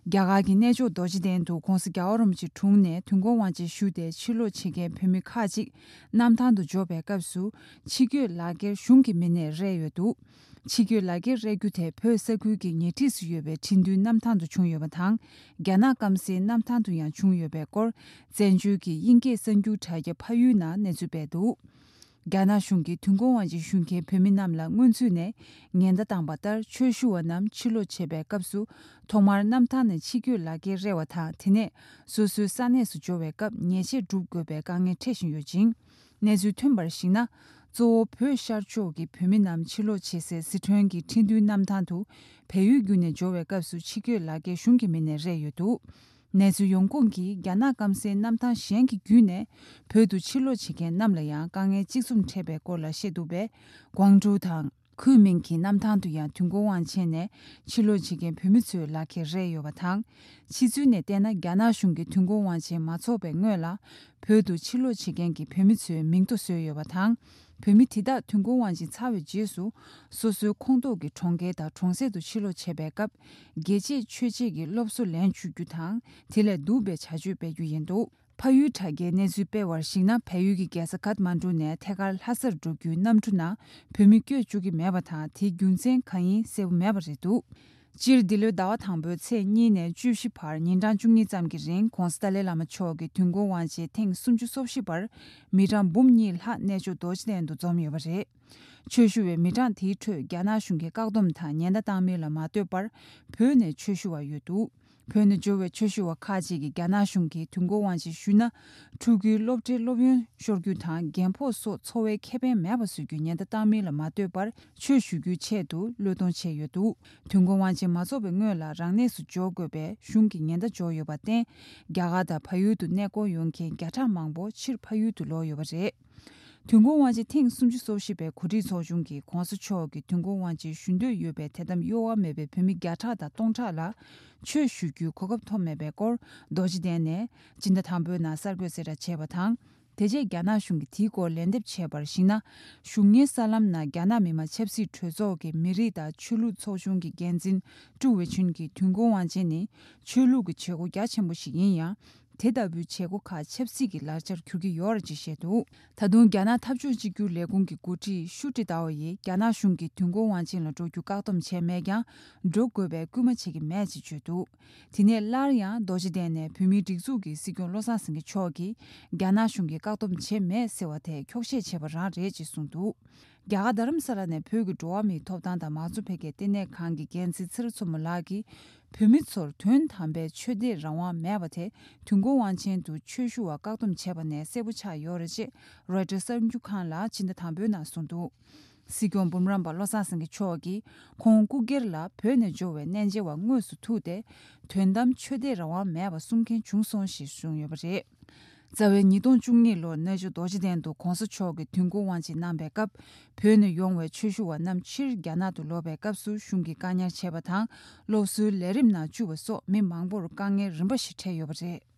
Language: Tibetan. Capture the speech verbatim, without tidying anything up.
རྒྱ་གར་གྱི་གནས་མཆོག་རྡོ་རྗེ་གདན་དུ་༸གོང་ས་༸རྒྱལ་བ་རིན་པོ་ཆེའི་དྲུང་ནས་དུས་འཁོར་དབང་ཆེན་ཞུས་ཏེ་ཕྱིར་ལོག་བྱེད་མཁན་བོད་མི་ཁག་ཅིག་གནམ་ཐང་དུ་འབྱོར་བའི་སྐབས་སུ་ཕྱི་སྐྱོད་ལག་འཁྱེར་གཞུང་གི་མི་སྣས་རེག་ཡོད་འདུག་ཕྱི་སྐྱོད་ལག་འཁྱེར་རེག་རྒྱུ་དེ་བོད་ས་ཁུལ་གྱི་ཉེ་འཁྲིས་སུ་ཡོད་པའི་ཁྲིན་ཏུའུ་གནམ་ཐང་དུ་བྱུང་ཡོད་པ་དང་། རྒྱ་ནག་སྐམ་སའི་གནམ་ཐང་དུ་ཡང་བྱུང་ཡོད་པའི་སྐོར་བཙན་བྱོལ་གྱི་དབྱིན་སྐད་གསར་འགྱུར་དྲ་རྒྱ་ཕ་ཡུལ་ནང་གནས་ཚུལ་སྤེལ་འདུག་རྒྱ་ནག་གཞུང་གིས་དུས་འཁོར་དབང་ཆེན་ཞུ་མཁན་བོད་མི་རྣམས་ལ་སྔོན་ཚུད་ནས་ཉེན་བརྡ་བཏང་བ་ལྟར། ཆོས་ཞུ་བ་རྣམས་ཕྱིར་ལོག་བྱེད་པའི་སྐབས་སུ་ཐོག་མར་གནམ་ཐང་ནས་ཕྱི་སྐྱོད་ལག་འཁྱེར་རེག་པ་དང་། དེ་ནས་སོ་སོའི་ས་གནས་སུ་འབྱོར་བའི་སྐབས་ཉེས་ཆད་སྒྲུབ་དགོས་པའི་དཀའ་ངལ་འཕྲད་བཞིན་ཡོད་ཅིང་། གནས་ཚུལ་ཐོན་པར་གཞིགས་ན། གཙོ་བོ་བོད་ཤར་ཕྱོགས་ཀྱི་བོད་མི་རྣམས་ཕྱིར་ལོག་བྱེད་སའི་སི་ཁྲོན་གྱི་ཁྲིན་ཏུའུ་གནམ་ཐང་དུ་བལ་ཡུལ་བརྒྱུད་ནས་འབྱོར་བའི་སྐབས་སུ་ཕྱི་སྐྱོད་ལག་འཁྱེར་གཞུང་གི་མི་སྣས་རེག་ཡོད་འདུག་གནས་ཚུལ་ཡོང་ཁུངས་ཀྱིས་རྒྱ་ནག་སྐམ་སའི་གནམ་ཐང་གཞན་གྱི་བརྒྱུད་ནས་བོད་དུ་ཕྱིར་ལོག་བྱེད་མཁན་རྣམས་ལ་ཡང་དཀའ་ངལ་གཅིག་མཚུངས་འཕྲད་པའི་སྐོར་ལ་བཤད་འདུག་པས། ཀོང་ཀྲོའུ་དང་། ཁུན་མིང་གི་གནམ་ཐང་དུ་ཡང་དུས་འཁོར་དབང་ཆེན་ནས་ཕྱིར་ལོག་བྱེད་མཁན་བོད་མི་ཚོའི་ལག་འཁྱེར་རེག་ཡོད་པ་དང་། ཕྱི་ཚུལ་ནས་བལྟས་ན། རྒྱ་ནག་གཞུང་གིས་དུས་འཁོར་དབང་ཆེན་མ་འཚོགས་པའི་སྔོན་ལ་བོད་དུ་ཕྱིར་ལོག་བྱེད་མཁན་གྱི་བོད་མི་ཚོའི་མིང་ཐོ་བཟོས་ཡོད་པ་དང་། བོད་མི་དེ་དག་དུས་འཁོར་དབང་ཆེན་ཚར་བའི་རྗེས་སུ་སོ་སོའི་ཁོངས་གཏོགས་ཀྱི་གྲོང་ཁྱེར་དང་གྲོང་གསེབ་ཏུ་ཕྱིར་ལོག་བྱེད་པའི་སྐབས། རྒྱལ་གཅེས་ཆོས་གཅེས་ཀྱི་སློབ་གསོ་ལེན་བཅུག་རྒྱུ་དང་། དེ་ལས་སྡུག་པའི་བྱ་སྤྱོད་སྤེལ་རྒྱུ་ཡིན་འདུག་ཕ་ཡུལ་དྲ་རྒྱའི་གནས་ཚུལ་སྤེལ་བར་གཞིགས་ན། བལ་ཡུལ་གྱི་རྒྱལ་ས་ཁཐ་མན་གྲུ་ནས་ཐད་ཀར་ལྷ་སར་འགྲོ་རྒྱུའི་གནམ་གྲུ་ནང་བོད་མི་བསྐྱོད་བཅུག་གི་མེད་པ་དང་། དེའི་རྒྱུ་མཚན་གང་ཡིན་གསལ་པོ་མེད་པ་རེད་འདུག་སྤྱིར་འདི་ལོའི་ཟླ་བ་དང་པོའི་ཚེས་གཉིས་ནས་བཅུ་བཞི་བར་ཉིན་གྲངས་བཅུ་གཉིས་ཙམ་གྱི་རིང་། ྋགོང་ས་ཏཱ་ལའི་བླ་མ་མཆོག་གི་དུས་འཁོར་དབང་ཆེན་ཐེངས་སུམ་ཅུ་སོ་བཞི་པར་མི་གྲངས་འབུམ་གཉིས་ལྷག་གནས་མཆོག་རྡོ་རྗེ་གདན་དུ་འཛོམས་ཡོད་པ་རེད། ཆོས་ཞུ་བའི་མི་གྲངས་དེའི་ཁྲོད་རྒྱ་ནག་གཞུང་གིས་བཀག་སྡོམ་དང་ཉེན་བརྡ་བཏང་མིན་ལ་མ་ལྟོས་པར་བོད་ནས་ཆོས་ཞུ་བ་ཡོད་འདུག་བོད་ནས་འབྱོར་བའི་ཆོས་ཞུ་བ་ཁག་ཅིག་གིས་རྒྱ་ནག་གཞུང་གིས་དུས་འཁོར་དབང་ཆེན་ཞུས་ན། ཕྲུ་གུའི་སློབ་གྲྭའི་སློབ་ཡོན་ཤོར་རྒྱུ་དང་། རྒན་ཕོགས་སོགས་འཚོ་བའི་ཁེ་ཕན་མེད་པ་བཟོ་རྒྱུའི་ཉེན་བརྡ་བཏང་མིན་ལ་མ་ལྟོས་པར་ཆོས་ཞུ་རྒྱུའི་ཆེད་དུ་བློས་གཏོང་བྱས་ཡོད་འདུག་དུས་འཁོར་དབང་ཆེན་མ་འཚོགས་པའི་སྔོན་ལ་རང་གནས་སུ་འབྱོར་དགོས་པའི་གཞུང་གི་ཉེན་བརྡ་འབྱོར་ཡོད་པར་བརྟེན། རྒྱ་གར་དང་བལ་ཡུལ་དུ་གནས་སྐོར་ཡོང་མཁན་བརྒྱ་ཕྲག་མང་པོ་ཕྱིར་ཕ་ཡུལ་དུ་ལོག་ཡོད་པ་རེད། དུས་འཁོར་དབང་ཆེན་ཐེངས་སུམ་ཅུ་སོ་བཞི་པའི་གོ་སྒྲིག་ཚོགས་ཆུང་གིས་༸གོང་ས་མཆོག་གི་དུས་འཁོར་དབང་ཆེན་ཞུ་འདོད་ཡོད་པའི་དད་དམ་གཡོ་བ་མེད་པའི་བོད་མི་བརྒྱ་ཕྲག་དང་སྟོང་ཕྲག་ལ་ཆོས་ཞུ་རྒྱུའི་གོ་སྐབས་ཐོབ་མེད་པའི་སྐོར། རྡོ་རྗེ་གདན་ནས་སྤྱི་ཟླ་དང་པོའི་ནང་གསར་འགོད་གསལ་བསྒྲགས་བྱས་པ་དང་། དེ་རྗེས་རྒྱ་ནག་གཞུང་གིས་དེའི་སྐོར་ལན་འདེབས་བྱས་པར་གཞིགས་ན། བཞུགས་གནས་གསར་ལམ་ནང་རྒྱ་ནག་མི་དམངས་ཆབ་སྲིད་གྲོས་ཚོགས་ཀྱི་མི་རིགས་དང་ཆོས་ལུགས་ཚོགས་ཆུང་གི་འགན་འཛིན་ཀྲུའུ་ཝེ་ཆུན་གྱིས་དུས་འཁོར་དབང་ཆེན་ནི་ཆོས་ལུགས་ཀྱི་བྱེད་སྒོ་རྒྱ་ཆེན་པོ་ཞིག་ཡིན་ཡང་། དེ་ལྟ་བུའི་བྱེད་སྒོ་ཁག་ཆབ་སྲིད་ཀྱི་ལག་ཆར་འགྱུར་གྱི་ཡོད་རེད་ཅེས་བཤད་འདུག་ད་དུང་རྒྱ་ནག་འཐབ་ཕྱོགས་གཅིག་གྱུར་ལས་ཁུངས་ཀྱི་འགོ་ཁྲིད་ཤུ་ཀྲི་ཏའོ་ཡིས་རྒྱ་ནག་གཞུང་གིས་དུས་འཁོར་དབང་ཆེན་ལ་འགྲོ་རྒྱུ་བཀག་སྡོམ་བྱས་མེད་ཀྱང་། འགྲོ་དགོས་པའི་སྐུལ་མ་བྱེད་ཀྱི་མེད་ཅེས་བརྗོད་འདུག་དེ་ནས་སླར་ཡང་རྡོ་རྗེ་གདན་ནས་བོད་མིའི་སྒྲིག་འཛུགས་ཀྱི་སྲིད་སྐྱོང་བློ་བཟང་སེང་གེ་མཆོག་གིས་རྒྱ་ནག་གཞུང་གིས་བཀག་སྡོམ་བྱས་མེད་ཟེར་བ་དེ་འཁྱོག་བཤད་བྱས་པ་རང་རེད་ཅེས་གསུངས་འདུག་རྒྱ་གར་རྡ་རམ་ས་ལ་ནས་བོད་ཀྱི་འགྲོ་བ་མིའི་ཐོབ་ཐང་དང་མང་གཙོ་འཕེལ་རྒྱས་ལྟེ་གནས་ཁང་གི་འགན་འཛིན་ཚེ་རིང་མཚོ་མོ་ལགས་ཀྱིས། བོད་མི་ཚོར་དོན་དམ་པའི་ཆོས་དད་རང་དབང་མེད་པ་དེ། དུས་འཁོར་དབང་ཆེན་དུ་ཆོས་ཞུ་བ་བཀག་སྡོམ་བྱས་པ་ནས་གསལ་པོ་ཆགས་ཡོད་རེད་ཅེས་རོའི་ཊར་གསར་འགྱུར་ཁང་ལ་ཕྱི་ཟླ་དང་པོའི་ནང་གསུངས་འདུག་སྲིད་སྐྱོང་འབུམ་རམས་པ་བློ་བཟང་སེང་གེ་མཆོག་གིས་ཁོང་སྐུ་སྒེར་ལ་བོད་ནས་འབྱོར་བའི་གནས་མཇལ་བ་དངོས་སུ་ཐུག་སྟེ། དོན་དམ་ཆོས་དད་རང་དབང་མེད་པ་གསུང་མཁན་བྱུང་སོང་ཞེས་གསུངས་ཡོད་པ་རེད། རྩ་བའི་ཉིས་སྟོང་བཅུ་གཉིས་ལོར་གནས་མཆོག་རྡོ་རྗེ་གདན་དུ་༸གོང་ས་མཆོག་གིས་དུས་འཁོར་དབང་ཆེན་གནང་པའི་སྐབས། བོད་ནས་ཡོང་བའི་ཆོས་ཞུ་བ་རྣམས་ཕྱིར་རྒྱ་ནག་ཏུ་ལོག་པའི་སྐབས་སུ་གཞུང་གིས་བཀག་ཉར་བྱས་པ་དང་། སློབ་གསོའི་ལས་རིམ་ནང་བཅུག་པ་སོགས་མི་མང་པོར་དཀའ་ངལ་རིམ་པ་ཞིག་འཕྲད་ཡོད་པ་རེད།